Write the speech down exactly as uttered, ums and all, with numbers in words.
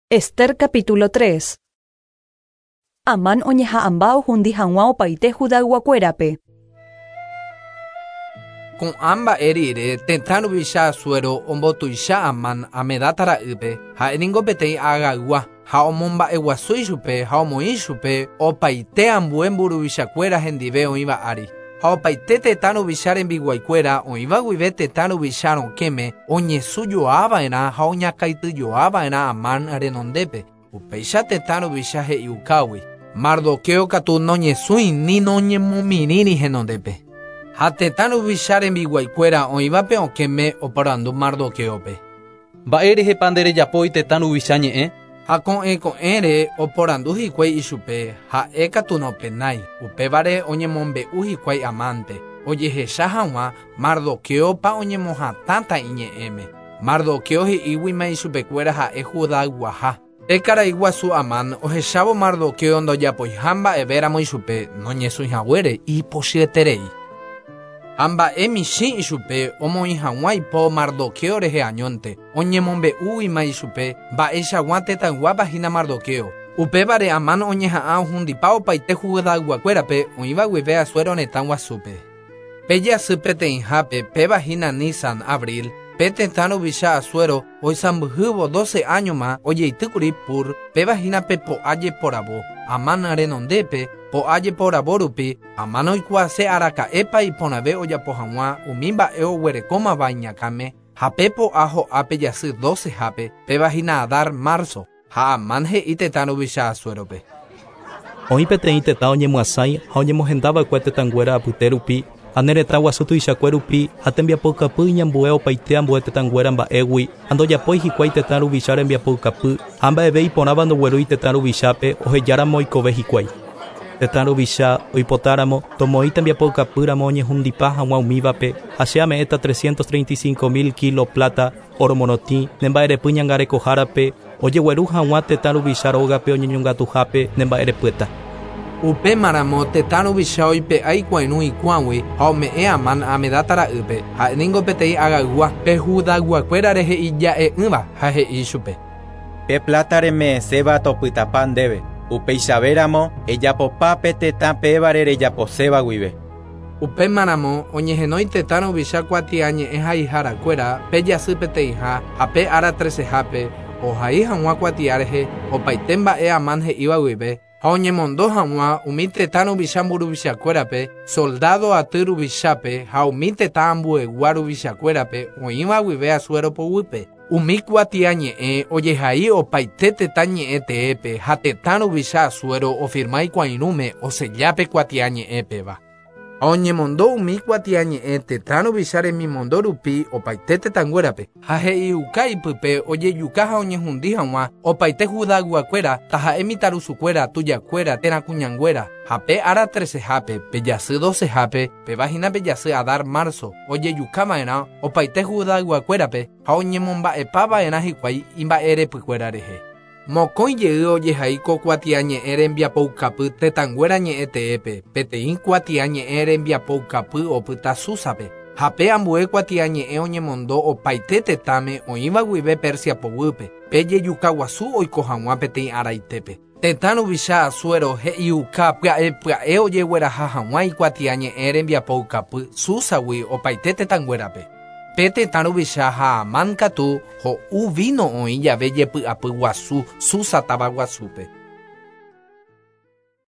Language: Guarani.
Ester capítulo tres. Amán oñeha'ãmba ohundi hag̃ua opaite Judayguakuérape. Ko'ã mba'e rire tetã ruvicha Asuero ombotuicha Amán Hamedata ra'ýpe ha'éningo peteĩ agaygua ha omomba'eguasu ichupe ha omoĩ chupe opaite ambue mburuvichakuéra hendive oĩva ári. Ha opaite tetã ruvicha rembiguaikuéra oĩva guive tetã ruvicha rokẽme oñesũjoava'erã ha oñakãityjoava'erã Amán renondépe. Upéicha tetã ruvicha he'iukágui. Mardoqueo katu noñesũi ni noñemomirĩri henondépe. Ha tetã ruvicha rembiguaikuéra oĩvape okẽme oporandu Mardoqueope. Mba'érehepa nderejapói tetã ruvicha ñe'ẽ? Ha ko'ẽ ko'ẽre oporandu hikuái ichupe ha'e katu nopenái. Upévare oñemombe'u hikuái Amánpe ojehecha hag̃ua Mardoqueopa oñemohatãta iñe'ẽme. Mardoqueo he'íguima ichupekuéra ha'e Judayguaha. Pe karai guasu Amán ohechávo Mardoqueo ndojapoiha mba'evéramo ichupe noñesũihaguére ipochyeterei. Ha mba'e michĩ ichupe omoĩ hag̃ua ipo Mardoqueo rehe añónte oñemombe'úguima ichupe mba'eichagua tetãyguápa hína Mardoqueo. Upévare Amán oñeha'ã ohundipa opaite Judayguakuérape oĩva guive Asuero retã guasúpe. Pe jasy peteĩhápe péva hína Nisan abril pe tetã ruvicha Asuero oisãmbyhývo doce áñoma ojeitýkuri Pur péva hína pe po'a jeporavo. Amán renondépe po'a jeporavo rupi Amán oikuaase araka'épa iporãve ojapo hag̃ua umi mba'e oguerekómava iñakãme ha pe po'a ho'a pe jasy docehápe péva hína Adar marzo ha Amán he'i tetã ruvicha Asuerope. Oĩ peteĩ tetã oñemyasãi ha oñemohendava'ekue tetãnguéra apyte rupi ha ne retã guasu tuichakue rupi ha tembiapoukapy iñambue opaite ambue tetãnguéra mba'égui ha ndojapói hikuái tetã ruvicha rembiapoukapy ha mba'eve iporãva ndoguerúi tetã ruvichápe ohejáramo oikove hikuái. Tetã ruvicha oipotáramo tomoĩ tembiapoukapýramo oñehundipa hag̃ua umívape ha che ame'ẽta trescientos treinta y cinco mil kilo plata oro morotĩ ne mba'erepy ñangarekohárape ojegueru hag̃ua tetã ruvicha rógape oñeñongatuhápe ne mba'erepyeta. Upémaramo tetã ruvicha oipe'a ikuairũ ikuãgui ha ome'ẽ Amán Hamedata ra'ýpe ha'éningo peteĩ agaygua pe Judayguakuéra rehe ija'e'ỹva ha he'i chupe. Pe plata reme'ẽséva topytapa ndéve. Upeichavéramo ejapopa pe tetã pévare rejaposéva guive. Upémaramo oñehenói tetã ruvicha kuatiañe'ẽ haiharakuéra pe jasy peteĩha ha pe ára trecehápe ohai hag̃ua kuatia rehe opaite mba'e Amán he'íva guive ha oñemondo hag̃ua umi tetã ruvicha mburuvichakuérape soldado aty ruvichápe ha umi tetã ambuegua ruvichakuérape oĩva guive Asuero poguýpe. Umi kuatiañe'ẽ ojehai opaite tetã ñe'ẽ teépe ha tetã ruvicha Asuero ofirma ikuairũme osellápe kuatiañe'ẽpeva. Ha oñemondo umi kuatiañe'ẽ tetã ruvicha remimondo rupi opaite tetãnguérape ha he'iuka ipype ojejuka ha oñehundi hag̃ua opaite Judayguakuéra taha'e mitãrusukuéra tujakuéra térã kuñanguéra ha pe ára trecehápe pe jasy docehápe péva hína pe jasy Adar marzo ojejukava'erã opaite Judayguakuérape ha oñemomba'epava'erã hikuái imba'erepykuéra rehe. Mokõi jey ojehai ko kuatiañe'ẽ rembiapoukapy tetãnguéra ñe'ẽ teépe peteĩ kuatiañe'ẽ rembiapoukapy opyta Súsape ha pe ambue kuatiañe'ẽ oñemondo opaite tetãme oĩva guive Persia poguýpe pe jejuka guasu oiko hag̃ua peteĩ araitépe. Tetã ruvicha Asuero he'iuka pya'e pya'e ojegueraha hag̃ua ikuatiañe'ẽ rembiapoukapy Súsagui opaite tetãnguérape. Pe tetã ruvicha ha Amán katu ho'u vino oĩ jave jepy'apy guasu Susa táva guasúpe.